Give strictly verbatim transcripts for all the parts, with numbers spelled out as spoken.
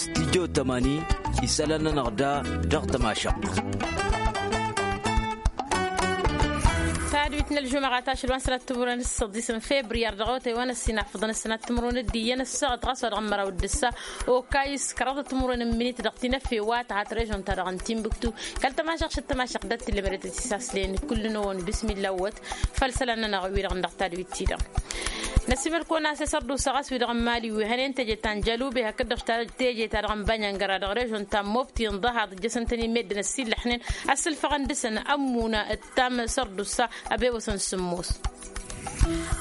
Studyo tămani isălan-nănăɣ da dăɣ-tămašăɣt. Tadwit n-ălžumăɣa tašăl wa n-sănat timǝrwen s-săḍisăn febriyar dăɣ-otay wa n-ăssinafăḍăn ăssinat timǝrwen d-iyyăn ăssaɣăt ɣas wa dăɣ-măraw d-ǝssa. Okayǝs kăraḍăt timǝrwen n-minit dăɣ-tinăfe wa tăhat režon-ta-dăɣ n-timbuktu. Kăl-tămašăɣt šăt tămašăɣt dat-tǝllămădăt ăsisaslen kullu n-ăwwăn bismilla wăt. Făll-isălan-nănăɣ wi-dăɣ n-dăɣ tadwit-ti-dăɣ. Năsimăl-kăwăn a-s isărdusa ɣas wi-dăɣ n-mali wi hănen teje ta n-jalube hakd-dăɣ teje ta dăɣ-n bănyăngăra dăɣ-režon ta n-mobti n-ḍahaḍ ǝjjăsăn-tăn-in meddǝn ăsillăḥnen. Ăssǝlfăɣăn dăɣ-săn ămmună d-tam sărdusa. Ăbewăsăn sǝmmos.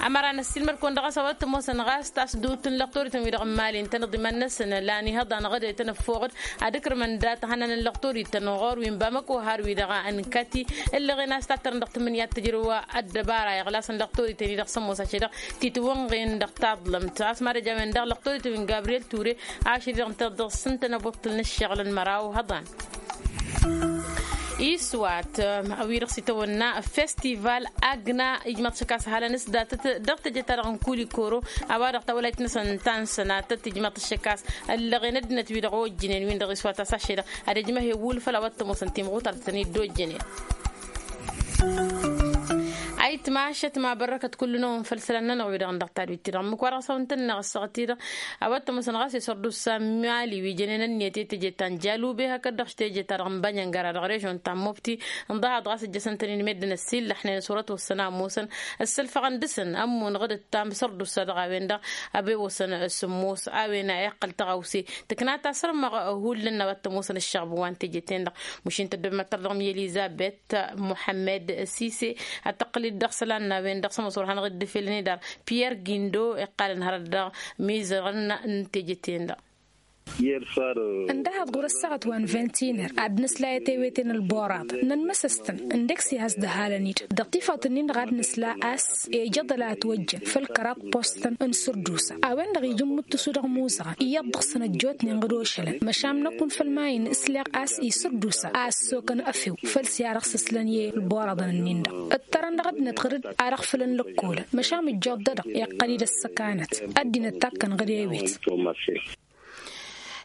Ămăra năssiilmăd-kăwăn dăɣ-s a-wa t-ămoosăn ɣas tasdut n-lăqtorităn wi-dăɣ n-mali ǝntăneḍ iman-năsăn lan ihăḍan ɣăd i-tăn-ăffoɣăd ad-ǝkrǝmăn dat-ihănan n-lăqtorităn ɣur-wi n-bamăko har-wi-dăɣ n-kati. Ǝllăɣen a-s tattărăn dăɣ-tǝmmǝnǝya d-tǝjrǝw ăddăbara iɣlasăn lăqtorităn-i-dăɣ sămoos ašăl-dăɣ titwănɣen dăɣ-taḍlămt a-s mad-ăj a-wen-dăɣ lăqtorităn wi n-gabriyel ture. Ašăl-i-dăɣ ǝntăneḍ dăɣ-s ǝntănăbwăḍtăl n-ǝššăɣǝl n-măraw hăḍan. Iswat wi-dăɣ s-itawănna festival agna ijmaḍ šăk a-s halăn s-datăt dăɣ-teje-ta-dăɣ n-kulikoro. A-wa-dăɣ tawălayt-năsăn ta n-sănatăt ijmaḍ šăk a-s ăllăɣen ăddinăt wi-dăɣ ojjǝnen-win-dăɣ iswat a-s ašăl-i-dăɣ ad-ăjmăh ewul făll-a-wa t-ămoosăn timɣutar-tăn-dd ojjǝnen. Ayǝtmašăt ma bărrăkăt kullu-năwăn făll-isălan-nănăɣ wi-dăɣ n-dăɣ tadwit-ti-dăɣ ǝmmǝk-wa-dăɣ s-a-wa n-tăn-năɣ ăssaɣăt-i-dăɣ. A-wa t-ămoosăn ɣas isărdusa n-mali wi jănen ǝnniyăt i-teje ta n-jalube hakd-dăɣ teje-ta-dăɣ n-bănyăngăra dăɣ-režon ta n-mobti. N-ḍahaḍ ɣas ǝjjăsăn-tăn-in meddǝn ăsillăḥnen s-wăr-ătwăssăn a ămoosăn ăssălfăɣăn dăɣ-săn ămmun ɣǝd ǝttam sărdusa dăɣ-a-wen-dăɣ. Ăbewăsăn sǝmmos a-wen a iqqăl tăɣawse tǝkna tasărmăɣ hullan a-wa t-ămoosăn ăššăɣb wa n-teje-ten-dăɣ. Mušin tăddobmăttăr dăɣ-mi elizabet muḥămmed sise ad-tăqqǝl-dd dăɣ-isălan n-a-wen-dăɣ s-ămoos wăr hanăɣ-dd-ifelăn idar. Piyăr gindo iqqalăn hărăt dăɣ-mizărăn n-teje-ten-dăɣ. Ǝndăhăḍ ɣur-ăssaɣăt wa n-ventiner ad-nǝsla i-tewete n-ălboraḍ nănmăsăs-tăn ǝndek s-ihăs dăhalăn-dd dăɣ-tifawt-nin-dăɣ ad-nǝsla a-s ejăḍ ălatwăjjăn făll-kăraḍ postăn n-sărdusa a-wen-dăɣ ija ǝmmǝttǝsu dăɣ-imuzăɣăn iyyăḍ dăɣ-săn ăjjootnen ɣǝd ošălăn măšan năkk un făll-ma-in ǝsleɣ a-s isărdusa a ăssokăn efew făll-s i-ad-dăɣ-sǝslăn i-ălboraḍăn-nin-dăɣ. Ǝttărăn dăɣ-ăddinăt ɣǝr-dd ad-dăɣ-fălăn lăkkolăn măšan ǝjjoḍ-dăɣ iqqăl-dd ăssăkanăt ăddinăt takkăn ɣǝr-ewet.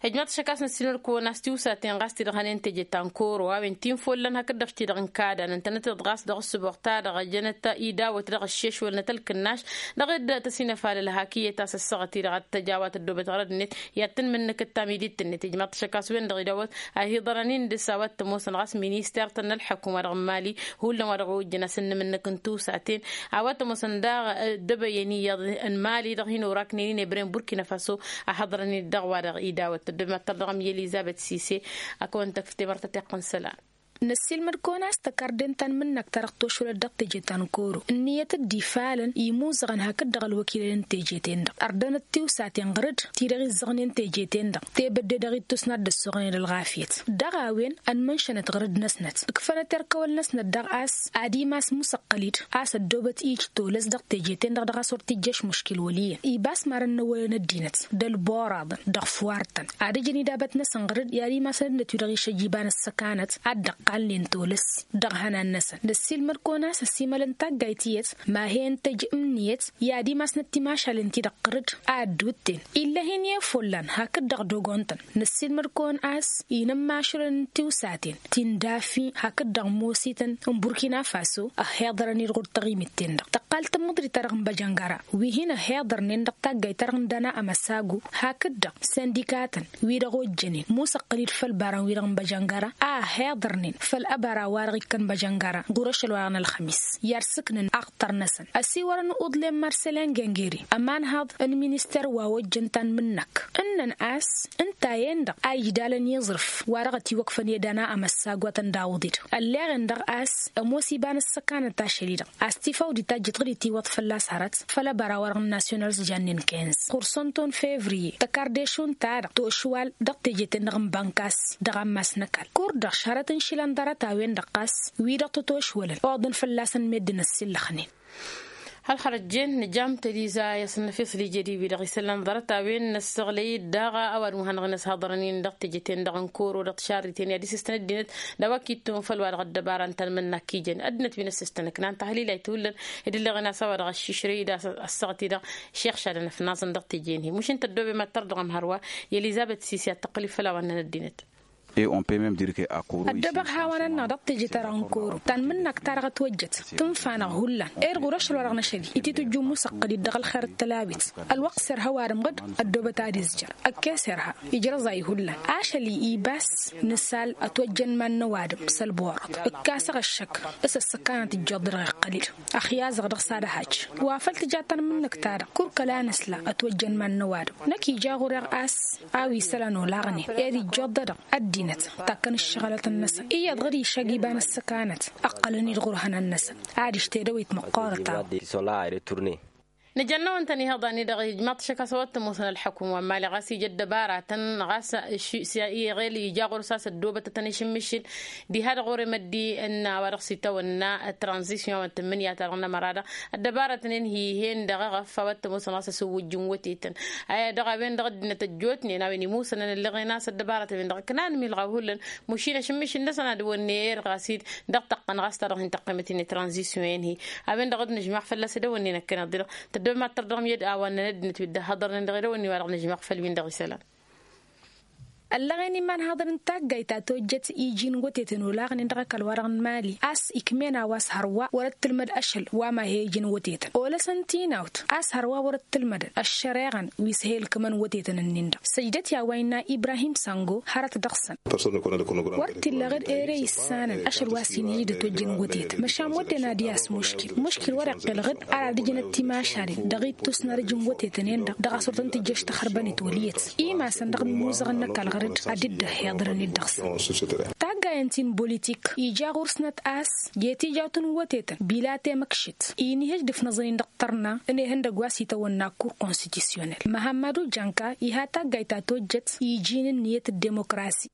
Ijmaḍ-t šăk a-s năssiilmăd-kăwăn a-s tiwsaten ɣas ti-dăɣ hănen teje ta n-koro a-wen ti n-follan hakd-dăɣ ti-dăɣ n-kada nǝntănăt-dd ɣas dăɣ-ǝssǝboɣ-ta-dăɣ jănăt idawăt dăɣ-ăššešwălnăt ălkǝnnaš dăɣ-dd-tăsinăfalăl hak iyyăt a-s ăssaɣăt-i-dăɣ ad-t-tăj a-wa tăddoobăt ɣărăd-net i-ad-tăn-mǝnnǝkǝt tamidit-net ijmaḍ-t šăk a-s wen-dăɣ idawăt. Ahǝḍărăn-in dăɣ-s a-wa t-ămoosăn ɣas minister-tăn n-ălḥăkum wa dăɣ-n mali hullan wa dăɣ-ojjăn a-s ǝnnǝmǝnnǝk n-tiwsaten a-wa t-ămoosăn daɣ ăddăbăyăn iyyăḍ n-mali dăɣ-hin-oraknen-in ebren burkina faso. Ahǝḍărăn-in dăɣ-wa-dăɣ idawăt tăddămăttăr dăɣ-mi elizabet sise. A kăwăn-tăkf temărt ătiqqǝn isălan. Năssiilmăd-kăwăn a-s tăkarden ta n-imǝnnăk ta dăɣ-tošwălăt dăɣ-teje ta n-koro ǝnniyăt dd-ifalăn imuzăɣăn hakd-dăɣ ălwăkilăn n-teje-ten-dăɣ ărdănăt tiwsaten ɣǝr-dd ti-dăɣ izzăɣnen teje-ten-dăɣ tebădde dăɣ-ittus n-ad-dd-ăssoɣnen ălɣafyăt. Dăɣ-a-wen ănmănšănăt ɣǝr-dd-năsnăt ǝkfănăt erk ăwăl-năsnăt daɣ a-s ad-imas musăqqăl-dd a-s ăddoobăt ij tolăs dăɣ-teje-ten-dăɣ dăɣ-a-s wăr t-ijjăš muškil wăl' iyyăn ibas marăn n-ăwwălăn ăddinăt d-ălboraḍăn dăɣ-făwartăn ad-ǝjǝn idabăt-năsăn ɣǝr-dd i-ad-imasăn ăddinăt wi-dăɣ išăjj iba n-ăssăkanăt ad-dd-ăqqalnen tolăs. Dăɣ-ihănan-năsăn năssiilmăd-kăwăn a-s ăsimălăn taggayt iyyăt ma he-ǝntăj ǝmniyăt i-ad-imasnăt timašalen-ti-dăɣ ɣǝr-dd a ădduutten ill'-e-hin i-follan hakd-dăɣ dogon-tăn. Năssiilmăd-kăwăn a-s inămmašulăn n-tiwsaten ti n-dafi hakd-dăɣ mosităn n-burkina faso ăhhiḍărăn-dd ɣur-tăɣimit-ten-dăɣ tăqqal tǝmmǝḍrit-ta-dăɣ n-băjăngăra wi hin-ăhhiḍărnen dăɣ-taggayt-ta-dăɣ n-dăna amăsagu hakd-dăɣ sindikatăn wi-dăɣ ojjănen musăqqǝl-dd făll-ibaran-wi-dăɣ n-băjăngăra a ăhhiḍărnen făll-ăbăra wa-dăɣ ikkăn băjăngăra ɣur-ašăl wa-dăɣ n-ălxămis i-ad-sǝknăn aɣtăr-năsăn ăsiwărăn uḍlem marselin gengeri ămanhăḍ n-minister wa ojjăn ta n-imǝnnăk ǝnnăn a-s ǝnta-en-dăɣ a ijdalăn iẓrǝf wa dăɣ-ătiwăkfăn i-dăna amăssagwatăn d-awǝḍ-dd ălleɣen-dăɣ a-s ămoos iba n-ăssăkanăt ašăl-i-dăɣ a-s tifawdit tajjăt ɣǝd itiwăḍ fălla-s hărăt făll-ăbăra wa dăɣ-n nasyonal s-jannen kinz ɣur-sănton fevriye tăkarde-šund-ta-dăɣ tošwal dăɣ-teje-ten-dăɣ n-bănkas dăɣ-ammas n-ăkall kur-dăɣ šărăt n-išilan ḍarăt a-wen-dăɣ ɣas wi-dăɣ tătošwălăn oḍăn fălla-săn meddǝn ăssillăxnen. Hal hărăt jen nǝjam teliza i-asǝnnăfeṣ lijedi-wi-dăɣ isălan ḍarăt-a-wen n-ăssaɣlăy-dd daɣ a-wa dăɣ-muhăn dăɣ-inăshăḍărăn-in dăɣ-teje-ten-dăɣ n-koro dăɣ-tišarriten i-ad-isǝstăn ăddinăt d-a-wa k-itton făll-wa-dăɣ ăddăbara n-tanmǝnna k-ijăn ăddinăt wi n-ăssistăn ǝknan tahlilayt hullan. Ed ǝlleɣen a-s a-wa dăɣ-aššǝšrăy-dd a-s ăssaɣăt-i-dăɣ šixšadăn ăfnaẓăn dăɣ-teje-in-hi mušin tăddobem ad-tăr dăɣ-ămhărwa i-elizăbet sisi ad-tăqqǝl-dd făll-a-wa ǝnnăn ăddinăt. Ăddăbăɣ hawăn-ănn-dăɣ teje-ta-dăɣ n-koro tanmǝnnak-ta-dăɣ ătwăjjăt tǝnfa-năɣ hullan. Ed ɣur-ašăl wa dăɣ-năšăl-i ititǝjju musăqqăl-dd dăɣ-ălxer d-tălawit. Ălwăqq s-irha ăwadǝm ɣǝd ăddoobăt ad-izjăr ăkkes irha ijrăẓ a ihullan. Ašăl-i ibas nǝsal ătwăjjăn iman-năwadǝm s-ălborăḍ. Ǝkkasăɣ ăššăk s-ăssăkanăt ǝjjoḍ-dăɣ iqqăl-dd. Ăxyaẓăɣ dăɣ-s ad-ăhaj wa făl tǝja tanmǝnnăk-ta-dăɣ. Kur kăla nǝsla ătwăjjăn iman-năwadǝm. Năkk ija ɣur-eɣ a-s a-wa isălan olaɣnen ed ijjoḍ-dăɣ ăddinăt takkăn ǝššăɣǝlătăn-năsăn iyyăḍ ɣǝd išăg iba n-ăssăkanăt. Ăqqălăn-dd ɣur-ihănan-năsăn adiš tedăwit măqqoorăt a-wa. Nǝjănnăwăn-tăn ihăḍan-i-dăɣ ijmaḍ-t šăkk a-s a-wa t-ămoosăn ălḥukǝm wa n-mali ɣas ija ăddăbaratăn ɣas iɣel ija ɣur-s a-s ăddoobătătăn ašǝmmišǝl. Diha-dăɣ ɣur-emăddi n-a-wa dăɣ-s itawănna tranzisyon wa n-tǝmmǝnǝya-ta-dăɣ n-ămăra-dăɣ ăddăbarătnen hi-hen-dăɣ eɣăf a-wa t-ămoosăn ɣas asǝwwǝjjǝn wătetăn. Aya dăɣ-a-wen-dăɣ ăddinăt ăjjootnen a-wen imusănăn ǝllăɣen a-s ăddăbarăt a-wen-dăɣ ǝknan milɣaw hullan. Mušin ašǝmmišǝl-năsăn ad-wănne erɣas-dd dăɣ-tăqqăn ɣas ta-dăɣ hin-tăqqimăt-in tranzisyon-en-hi. A-wen-dăɣ dd-nǝžmaɣ fălla-s edăwănne năkkăneḍ-i-dăɣ tăddobem ad-tărdăɣăm i-dd a-wa ǝnnăn ăddinăt wi dd-ăhhăḍărnen dăɣ-edăwănne-wa-dăɣ nǝžmaɣ făll-win-dăɣ isălan. Ăllăɣen iman haḍăr n-taggayt ta tojjăt iji n-wătetăn olaɣnen dăɣ-ăkall-wa-dăɣ n-mali a-s ikmen a-wa s-hărwa wăr-ăttǝlmăd ašăl wa ma he-iji n-wătetăn olăsăn tinawt a-s hărwa wăr-ăttǝlmădăn ăššăreɣăn wi s-he-ǝlkǝmăn wătetăn-ǝnnin-dăɣ. Săjdăt i-a-wa innă ibrahim sango hărăt dăɣ-săn. Wăr t-illa ɣǝd ere issanăn ašăl wa s-hin-ija d-ătojjăn wătetăn măšan wădden ad-i-as muškil muškil wăr-iqqǝl ɣǝd ar ad-ǝjǝnăt timašalen dăɣ-ittus n-arǝj n-wătetăn-en-dăɣ dăɣ-a-s wăr tăn-tǝjjăš taxărbănet wăl' iyyăt. Imasăn dăɣ-nǝmmuzăɣăn n-ăkall ɣăr-dd ad-dd-ăhhiḍărăn-dd dăɣ-săn. Taggayăn ti n-bolitik ija ɣur-snăt a-s i-tijawt n-wătetăn bila temăkšit inihăj d-ǝfnăẓăn-in dăɣ-tărna n-ehăndăgg wa s-itawănna kur konstitisyonel măhammadu janka iha taggayt ta tojjăt iji n-ǝnniyăt d-demokrasi.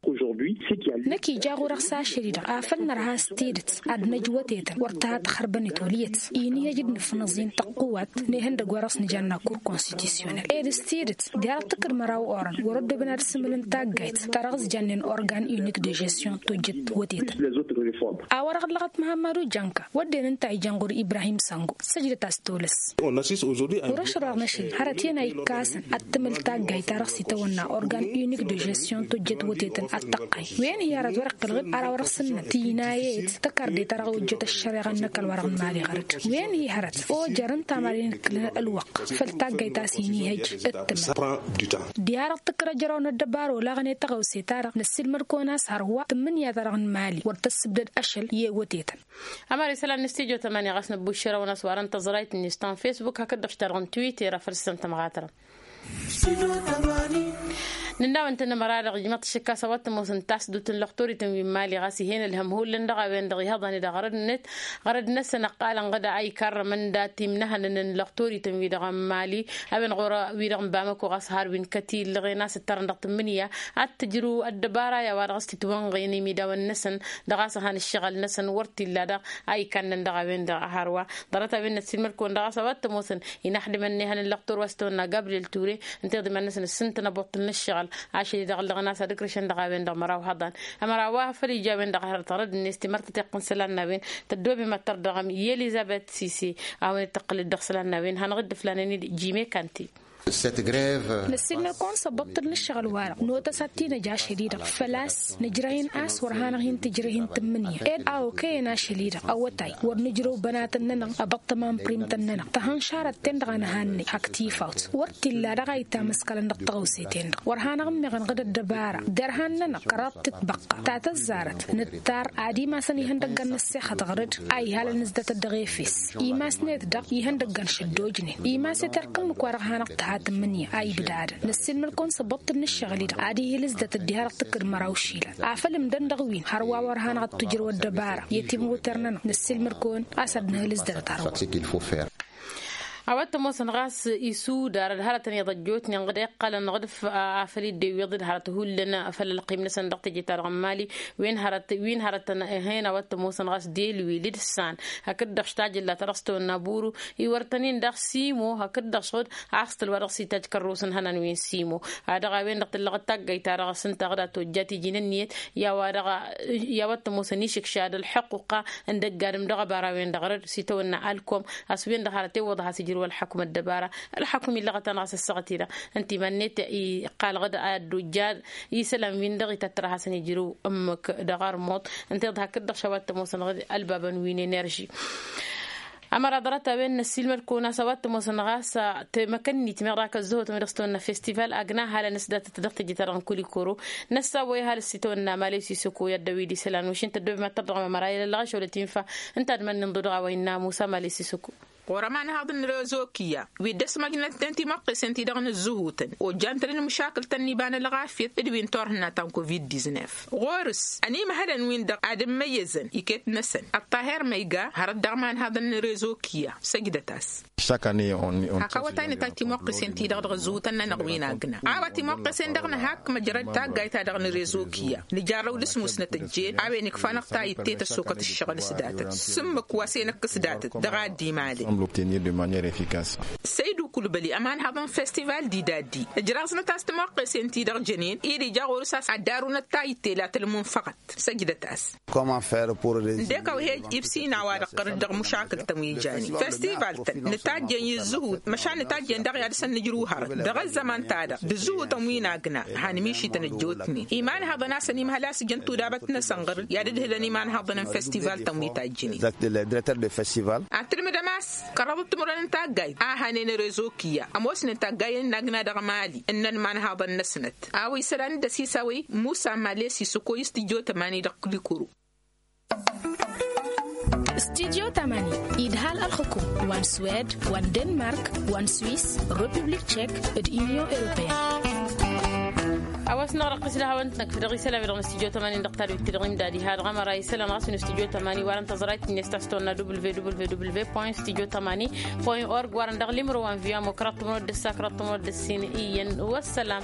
Năkk ija ɣur-eɣ s-ašăl-i-dăɣ afăl nărha s-tidǝt ad-năj wătetăn wăr tǝha taxărbănet wăl' iyyăt. Inihăj d-nǝfnăẓ-in tăqqǝwat n-ehăndăgg wa dăɣ-s nǝjanna kur konstitisyonel ed s-tidǝt diha-dăɣ tǝkkǝd măraw orăn wăr-ăddooben ad-sǝmǝlăn taggayt ta dăɣ-s jannen organ unik de žesyon tojjăt wătetăn. A-wa dăɣ-ăllăɣăt măhammadu janka wădden ǝnta a ijăn ɣur-ibrahim sango săjdăt-as tolăs. Ɣur-ašăl wa dăɣ-năšăl hărăt iyyăn a ikkasăn ad-tǝmǝl taggayt ta dăɣ-s itawănna organ unik de žesyon tojjăt wătetăn ad-tăqqay wen-hi hărăt wăr-iqqǝl ɣǝd ara wa dăɣ-s ǝnnăn tinayet tăkarde ta dăɣ-ojjăt ăššăreɣa n-ăkall wa dăɣ-nǝmali ɣăr-dd wen-hi hărăt ojărăn tamaren ǝlkǝlăn ălwăqq făll-taggayt ta s-inihăj d-tǝmǝl. Diha-dăɣ tǝkkăr ăjraw n-ăddăbara olaɣăn i-tăɣăwse-ta-dăɣ năssiilmăd-kăwăn a-s hărwa tǝmmǝnǝya-ta-dăɣ n-mali wăr tăssǝbdăd ašăl i-ewătetăn. Ămăra isălan n-stujo tămani ɣas năbbuššărăwăn a-s warăn tăẓrayt-net ta n-fesbuk hakd-dăɣ ta-dăɣ n-twitter a făl s-tăn-tămɣatărăm. Nǝnna-wăn-tăn ămăra-dăɣ ijmăḍ-t šăkk a-s a-wa t-ămoosăn tasdut n-lăxtorităn wi n-mali ɣas ih'-en ălhăm hullan dăɣ-a-wen-dăɣ ihăḍăn-i-dăɣ ɣărăd-net ɣărăd-năsăn ăqqalăn ɣǝd a ikarrămăn dat-imnăhănăn n-lăxtorităn-wi-dăɣ n-mali a-wen ɣur-wi-dăɣ n-bamăko ɣas har wi n-kăt-illăɣen a-s ǝttărăn dăɣ-tǝmmǝnǝya ad-t-tǝjrǝw ăddăbara i-a-wa dăɣ-s tǝtwănɣen imidawăn-năsăn dăɣ-a-s ăhan ǝššăɣǝl-năsăn wăr t-illa daɣ a ikannăn dăɣ-a-wen-dăɣ a hărwa. Ḍarăt-a-wen năssiilmăd-kăwăn dăɣ-a-s a-wa t-ămoosăn inaxdǝmăn n-ehăn n-lăxtur wa s-tăwănna gabriel ture ǝnta iḍǝman-năsăn ǝssǝntăn abăṭṭǝl n-ǝššăɣǝl ašăl-i-dăɣ ǝllăɣăn a-s ad-ǝkrǝšăn dăɣ-a-wen-dăɣ măraw hăḍan. Ămăra wa făl ija a-wen-dăɣ hărăt ɣărăd-net timărtăt iqqǝn isălan n-a-wen tăddoobem ad-tărdăɣăm i-elizăbet sise a-wen dd-tăqqǝlăd dăɣ-isălan n-a-wen hanăɣ-dd-ǝflanen-dd jime kanti. Năssiilmăd-kăwăn s-abăṭṭǝl n-ǝššăɣǝl-wa-dăɣ notăs ad-t-in-ăj ašăl-i-dăɣ făl-a-s nǝjrăyăn a-s wăr hanăɣ-hin-tǝjrăy hin-tǝmmǝnǝya ed a okăyăn ašăl-i-dăɣ awătay wăr nǝjrăw bănatăn-nănăɣ abăṭṭăma n-prim-tăn-nănăɣ tăhănšarăt-ten-dăɣ a nǝhannăy hak tifawt wăr t-illa daɣ a itamǝskălăn dăɣ-tăɣăwse-ten-dăɣ wăr hanăɣ-ǝmmeɣăn ɣǝd ăddăbara derhan-nănăɣ kăraḍ tǝtbăqqa ta tăzzarăt nǝttar ad-imasăn ihăndăggan n-ăssexăt ɣăr-dd a ihalăn ǝzdat ăddăɣ efes imas-net daɣ ihăndăggan šăddojnen imas-net erk ǝmmǝk wa dăɣ-hanăɣ-tǝha tǝmmǝnǝya a ibdadăn năssiilmăd-kăwăn s-ăbbuṭṭǝl n-ǝššăɣǝl-i-dăɣ ad-ihǝl ǝzdat ăddiha dăɣ-tǝkkǝd măraw išilan afăl ǝmdăn dăɣ-win hărwa wăr hanăɣ-dd-tǝjrăw ăddăbara i-timɣuter-nănăɣ năssiilmăd-kăwăn a-s ad-nǝhǝl ǝzdatăt hărwa. A-wa t-ămoosăn ɣas isudar d-hărătăn iḍăjjotnen ɣǝd iqqălăn ɣǝd afăl iddew iḍǝd hărăt hullan făll-ălqim-năsăn dăɣ-teje-ta-dăɣ n-mali. Wi n-hărăt wi n-hărătăn ehen a-wa t-ămoosăn ɣas delwil d-san hakd-dăɣ štajǝlla ta dăɣ-s tăwănna buru iwărtăn-in daɣ simo hakd-dăɣ šɣǝd. Aɣstăl wa dăɣ-s itajj kărrus n-hănan wi n-simo. Ad-dăɣ-a-wen-dăɣ tǝllăɣăt taggayt-ta-dăɣ s-ǝnta ɣǝd a tojjat iji n-ǝnniyăt i-a-wa dăɣ-a i-a-wa t-ămoosăn išǝkšad ălḥăqquqa n-dăgg-adǝm dăɣ-ăbara-wen-dăɣ răd s-itawănna alkom. A-s wen-dăɣ hărăt iwwăḍ a has-ijrǝw ălḥăkum ăddăbara ălḥăkum illăɣăt-anăɣ a-s ăssaɣăt-i-dăɣ. Ǝnta iman-net iqqal ɣǝd a ăddojjad isălan-win-dăɣ ităttăr a hasăn-ijrǝw ǝmmǝk dăɣ-armuḍ. Ǝnta iḍ hakd-dăɣ š-a-wa t-ămoosăn ɣǝd ălbabăn wi n-enerži. Ămăra ḍarăt-a-wen n-ăssiilmăd-kăwăn a-s a-wa t-ămoosăn ɣas temăkănnit meɣ dak ăzzăhotăn wi dăɣ-s tăwănna festival agna halăn s-datăt dăɣ-teje-ta-dăɣ n-kulikoro. Năssawăy ăhalǝs itawănna malăy sisăko i-ad-dăwwid isălan wăšin tăddoobem ad-tărdăɣăm ămăra i-lălɣăš wăla t-infa. Ǝnta ad-mănnin ḍu dăɣ-a-wa innă musa malăy sisăko. Ɣur-ămanhăḍ n-rezo kiyya wi dd-ăsmăjnăt-ten timăqqesen-ti-dăɣ n-ǝzzǝhutăn ojjan-tăn-dd măšakǝl-tăn n-iba n-ălɣafyăt d-wi n-turhǝnna ta n-covid-diznef. Ɣur-s ănimhălăn-win-dăɣ ad-ǝmmăyyăzăn iket-năsăn ăṭṭaher ma iga hărăt dăɣ-imanhăḍăn n-rezo kiyya. Săjdăt-as. Hak awătay nǝtajj timuqqesen-ti-dăɣ dăɣ-ǝzzǝhutăn-nănăɣ wi n-agna a-wa timuqqesen-dăɣ nǝhak măjrăd taggayt-ta-dăɣ n-rezo kiyya. Nǝjarrăw d-asmusnăt ăjjeen a-wen ikfa-năɣ tayǝtte tăssokăt ǝššăɣǝl s-datăt s-ǝmmǝk wa s-e-năkk s-datăt dăɣ-a dd-imalen. Săydu kulbăli ămanhăḍ n-festival d-idaddi ǝjraẓnăt a-s timuqqesen-ti-dăɣ jănen-i d-ija ɣur-s a-s ad-darunăt tayǝtte la tălmunfăɣăt. Săjdăt-as. Ǝndek a-wa he-ǝjj ibsin a-wa-dăɣ ɣărăt dăɣ-mušakǝl-tăn wi janen festival-tăn nǝtajjen i-ǝzzǝhut măšan nǝtajjen daɣ i-ad-dăr-săn nǝjrǝw hărăt dăɣ-ăzzăman-ta-dăɣ d-ǝzzǝhutăn wi n-agna. Hanmišităn ăjjootnen imanhăḍăn a-s ănimhăl a-s ǝjăn tudabăt-năsăn ɣărăt i-ad-ǝdhǝlăn imanhăḍăn n-festival-tăn wi tajjǝnen. Ad-tǝlmǝdăm a-s kărrăḍăt timǝrwen n-taggayt a hanen rezo kiyya ămoosnen taggayen n-agna dăɣ-mali ǝnnăn imanhăḍăn-năsnăt. A-wa isălan d-ăsisawăy musa malesi s-ǝkoy s-tǝjjo tămani dăɣ-kǝlikuru. Studyo tamani idhal ălxukum wa n-swed wa n-denmark wa n-swiss, republik tchek d-union europeyenne. A-wa s-năɣrăqqǝs d-hawăn-tnăkf dăɣ-isălan wi dăɣ-năstudyo tamani dăɣ-tadwit-ti-dăɣ imdad iha dăɣ-ămăra isălan ɣas wi n-studyo tamani wa dăn tăẓrayt-net ta s-tawănna www point studyo tamani point org wa dăn dăɣ-limro wa n-via mokra tumrod d-ǝssa kra tumrod d-ǝssin iyyăn. Wăssălam.